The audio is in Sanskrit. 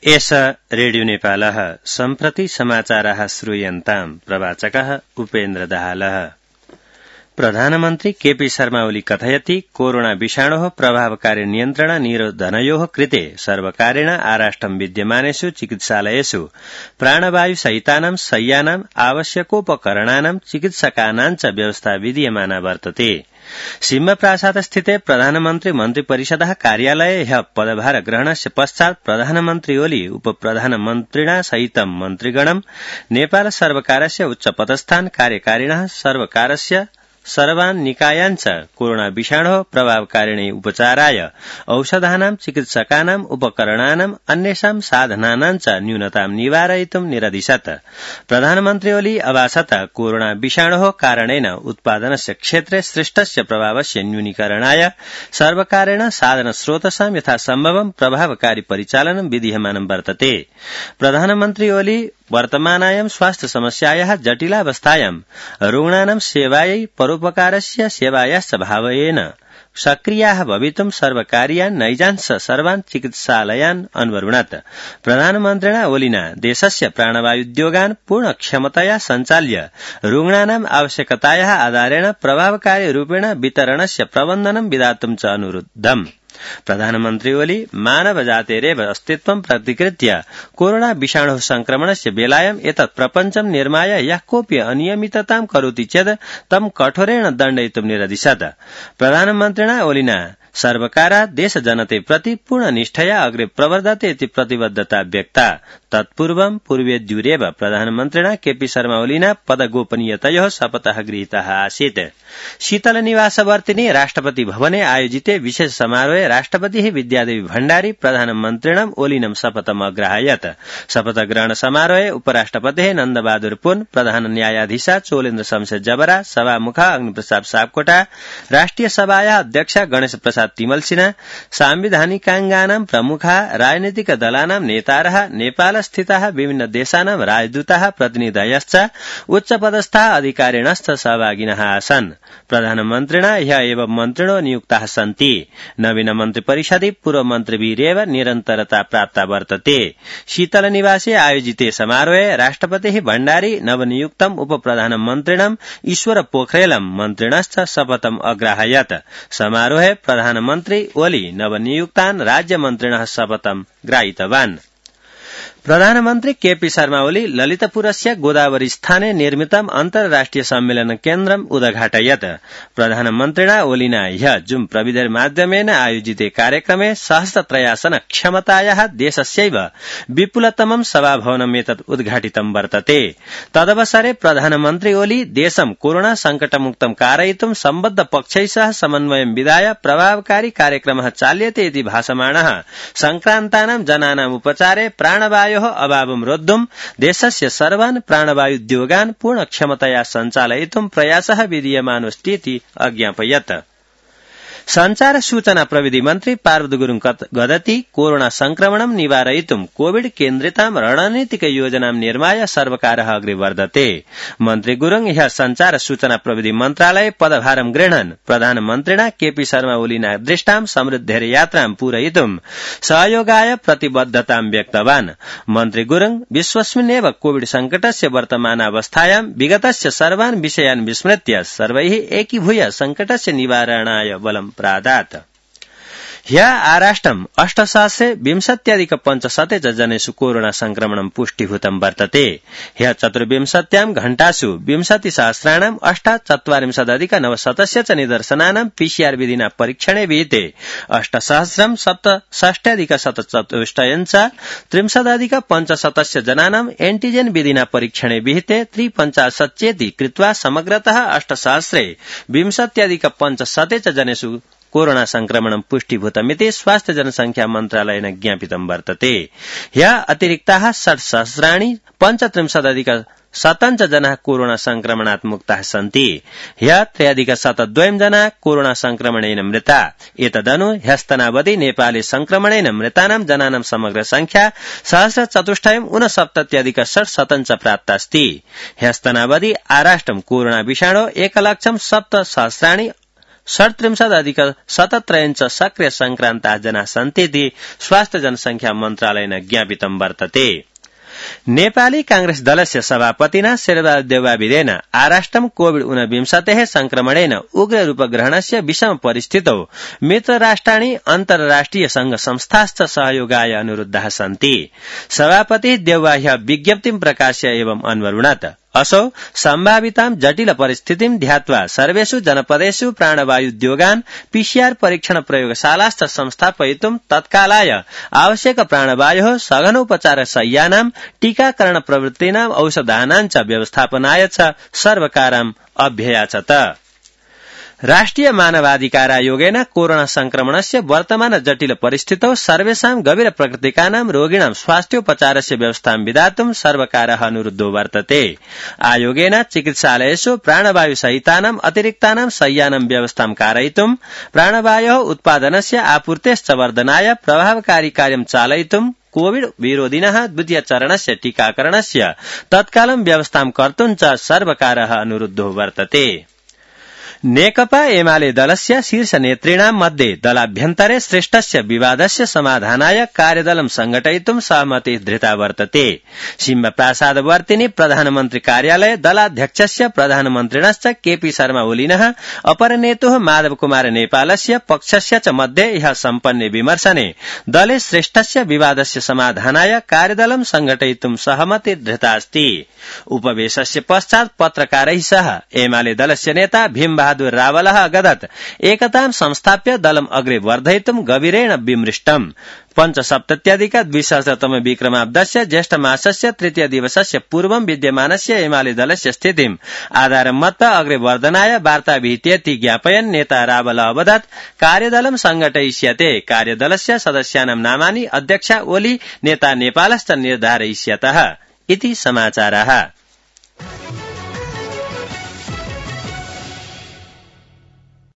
एष रेडियो नेपालः सम्प्रति समाचाराः श्रूयन्ताम् प्रवाचकः उपेन्द्र दाहालः। प्रधानमन्त्री केपी शर्मा ओली कथयति कोरोना विषाणोः प्रभावकारी नियन्त्रण निरोधनयोः कृते सर्वकारेण आराष्ट्रं विद्यमानेषु चिकित्सालयेषु प्राणवायु सहितानां शय्यानाम् आवश्यकोपकरणानां चिकित्सकानां च व्यवस्था विधीयमाना वर्तते। सिंहप्रासादस्थिते प्रधानमन्त्री मन्त्रिपरिषदः कार्यालये ह्यः पदभार ग्रहणस्य पश्चात् प्रधानमन्त्री ओली उपप्रधानमन्त्रिणा सहितं मन्त्रिगणं नेपाल सर्वकारस्य उच्चपदस्थान् कार्यकारिणः सर्वकारस्य सर्वान् निकायान् च कोरोना विषाणोः प्रभावकारिणे उपचाराय औषधानां चिकित्सकानाम् उपकरणानाम् अन्येषां साधनानां च न्यूनतां निवारयितुं निरदिशत्। प्रधानमन्त्री ओली अभाषत कोरोना विषाणोः कारणेन उत्पादनस्य क्षेत्रे सृष्टस्य प्रभावस्य न्यूनीकरणाय सर्वकारेण साधनस्रोतसां यथासम्भवं प्रभावकारी परिचालनं विधीयमानं वर्तते। प्रधानमन्त्री ओली वर्तमानायां स्वास्थ्य समस्यायाः जटिलावस्थायां रुग्णानां सेवायै परोपकारस्य सेवायाश्च भावेन सक्रियाः भवितुं सर्वकारीयान् नैजांश सर्वान् चिकित्सालयान् अन्वरुणत्। प्रधानमन्त्रिणा ओलिना देशस्य प्राणवायुद्योगान् पूर्णक्षमतया सञ्चाल्य रुग्णानाम् आवश्यकतायाः आधारेण प्रभावकारी रूपेण वितरणस्य प्रबन्धनं विधातुं च अनुरुद्धम्। प्रधानमन्त्री ओली मानवजातेरेव अस्तित्वं प्रतिकृत्य कोरोना विषाणोः संक्रमणस्य बेलायाम् एतत् प्रपञ्चं निर्माय यः कोऽपि अनियमिततां करोति चेत् तं कठोरेण दण्डयितुं निरदिशत्। प्रधानमन्त्रिणा ओलिना सर्वकारात् देशजनते प्रति पूर्णनिष्ठया अग्रे प्रवर्धते इति प्रतिबद्धता व्यक्ता। तत्पूर्वं पूर्वेद्युरेव प्रधानमन्त्रिणा केपी शर्मा ओलिना पदगोपनीयतयोः शपथः गृहीतः आसीत्। शीतलनिवासवर्तिनि राष्ट्रपति भवने आयोजिते विशेष समारोहे राष्ट्रपतिः विद्यादेवी भण्डारी प्रधानमन्त्रिणम् ओलिनं शपथम् अग्राहयत्। शपथग्रहण समारोहे उपराष्ट्रपतेः नन्दबहादुर पुन, प्रधान न्यायाधीशा चोलेन्द्र शमशेर जबरा, सभामुख अग्निप्रसाद सापकोटा, राष्ट्रिय सभायाः अध्यक्षा गणेश प्रसाद तिमल सिन्हा, सांविधानिकांगानां प्रमुखा, राजनीतिक दलानां नेतारः, नेपालस्थिताः विभिन्न देशानां राजदूताः, प्रतिनिधयश्च उच्चपदस्थाः अधिकारिणश्च सहभागिनः आसन्। प्रधानमन्त्रिणा ह्यः एव मन्त्रिणो नियुक्ताः सन्ति। नवीन मन्त्रिपरिषदि पूर्वमन्त्रिभिरेव निरन्तरता प्राप्ता वर्तते। शीतलनिवासे आयोजिते समारोहे राष्ट्रपतिः भण्डारी नवनियुक्तम् उपप्रधानमन्त्रिणम् ईश्वर पोखरेलम् मन्त्रिणश्च शपथम् अग्राहयत्। समारोहे प्रधानमन्त्री ओली नवनियुक्तान् राज्यमन्त्रिणः शपथम् ग्राहीतवान्। प्रधानमन्त्री केपी शर्मा ओली ललितपुरस्य गोदावरी स्थाने निर्मितम् अन्तर्राष्ट्रिय सम्मेलन केन्द्रम् उद्घाटयत्। प्रधानमन्त्रिणा ओलिना ह्यः जूम प्रविधिमाध्यमेन आयोजिते कार्यक्रमे सहस्रत्रयासन क्षमतायाः देशस्यैव विपुलतमं सभाभवनम् एतत् उद्घाटितं वर्तते। तदवसरे प्रधानमन्त्री ओली देशं कोरोना संकटमुक्तं कारयितुं सम्बद्ध पक्षैः सह समन्वयं विधाय प्रभावकारी कार्यक्रमः चाल्यते इति भाषमाणः संक्रान्तानां जनानाम् उपचारे प्राणवायोः अभावं रोद्धुं देशस्य सर्वान् प्राणवायुद्योगान् पूर्णक्षमतया सञ्चालयितुं प्रयासः विधीयमानोऽस्ति इति अज्ञापयत्। संचार सूचना प्रविधि मन्त्री पार्वती गुरुङ गदति कोरोना संक्रमणं निवारयितुं कोविड केन्द्रितां रणनीतिक योजनां निर्माय सर्वकारः अग्रे वर्धते। मन्त्री गुरुङ ह्यः संचार सूचना प्रविधि मन्त्रालये पदभारं गृह्णन् प्रधानमन्त्रिणा केपी शर्मा ओलिना दृष्टां समृद्धेर यात्रां पूरयितुं सहयोगाय प्रतिबद्धतां व्यक्तवान्। मन्त्री गुरुङ विश्वस्मिन्नेव कोविड संकटस्य वर्तमानावस्थायां विगतस्य सर्वान् विषयान् विस्मृत्य सर्वैः एकीभूय संकटस्य निवारणाय बलं प्रादात्। ह्यः आराष्ट्रम् 8,20,500 जनेषु कोरोना संक्रमणं पुष्टिभूतं वर्तते। ह्यः 24 घण्टासु 20,000 8,40,900 च निदर्शनानां पीसीआर विधिना परीक्षणे विहिते 8,67,164 च 30,500 जनानां एन्टिजेन विधिना परीक्षणे विहिते 53 चेति कृत्वा समग्रतः 8,20,500 च जनेषु कोरोना संक्रमणं पुष्टिभूतमिति स्वास्थ्य जनसंख्या मन्त्रालयेन ज्ञापितं वर्तते। ह्यः अतिरिक्ताः 60,35,000 जनाः कोरोना संक्रमणात् मुक्ताः सन्ति। ह्यः 3,102 जनाः कोरोना संक्रमणेन मृता। एतदनु ह्यस्तनावधि नेपाले संक्रमणेन मृतानां जनानां समग्र संख्या 1,469,600 च प्राप्तास्ति। ह्यस्तनावधि आराष्ट्रं कोरोना विषाणो 1,07,000 37.17 सक्रिय संक्रान्ता जना सन्तीति स्वास्थ्य जनसंख्या मन्त्रालयेन ज्ञापितं वर्तते। नेपाली कांग्रेस दलस्य सभापतिना शेरबहादुर देउवाविदेन आराष्ट्रं कोविड-19 संक्रमणेन उग्र रूपग्रहणस्य विषम परिस्थितौ मित्रराष्ट्राणि अन्तर्राष्ट्रिय संघ संस्थाश्च सहयोगाय अनुरुद्धाः सन्ति। सभापति देउवा ह्यः विज्ञप्तिं प्रकाश्य एवं अन्वरुणत् असौ सम्भावितां जटिल परिस्थितिं ध्यात्वा सर्वेषु जनपदेषु प्राणवायुद्योगान् पीसीआर परीक्षण प्रयोगशालाश्च संस्थापयितुं तत्कालाय आवश्यक प्राणवायोः सघनोपचार शय्यानां टीकाकरण प्रवृत्तीनां औषधानां च व्यवस्थापनाय च सर्वकारम् अभ्ययाचत। राष्ट्रिय मानवाधिकार आयोगेन कोरोना संक्रमणस्य वर्तमान जटिल परिस्थितौ सर्वेषां गभीर प्रकृतिकानां रोगिणां स्वास्थ्योपचारस्य व्यवस्थां विधातुं सर्वकारः अनुरुद्धो वर्तते। आयोगेन चिकित्सालयेषु प्राणवायुसहितानां अतिरिक्तानां शय्यानां व्यवस्थां कारयितुं प्राणवायोः उत्पादनस्य आपूर्तेश्च वर्धनाय प्रभावकारी कार्यं चालयितुं कोविड विरोधिनः द्वितीय चरणस्य टीकाकरणस्य तत्कालं व्यवस्थां कर्तुं च सर्वकारः अनुरुद्धो वर्तते। नेकपा एमाले दलस्य शीर्ष नेतृणां मध्ये दलाभ्यन्तरे श्रेष्ठस्य विवादस्य समाधानाय कार्यदलं संघटयितुं सहमति धृता वर्तते। सिंहप्रसादवर्तिनी प्रधानमन्त्री कार्यालय दलाध्यक्षस्य प्रधानमन्त्रिणश्च केपी शर्मा ओलिनः अपरनेतुः माधव कुमार नेपालस्य पक्षस्य च मध्ये ह्यः सम्पन्ने विमर्शने दले श्रेष्ठस्य विवादस्य समाधानाय कार्यदलं संघटयितुं सहमति धृता अस्ति। उपवेशस्य पश्चात् पत्रकारैः सह एमाले दलस्य नेता भीमबहादुर रावलः अगदत् एकतां संस्थाप्य दलम् अग्रे वर्धयितुं गभीरेण विमृष्टम्। 5सप्तत्यधिक-द्विसहस्रतम विक्रमाब्दस्य ज्येष्ठ मासस्य तृतीय दिवसस्य पूर्वं विद्यमानस्य एमाले दलस्य स्थितिम् आधारं मत्वा अग्रे वर्धनाय वार्ता विहितेति ज्ञापयन् नेता रावल अवदत् कार्यदलं संघटयिष्यते। कार्यदलस्य सदस्यानां नामानि अध्यक्षा ओली नेता नेपालश्च निर्धारयिष्यतः इति समाचारः।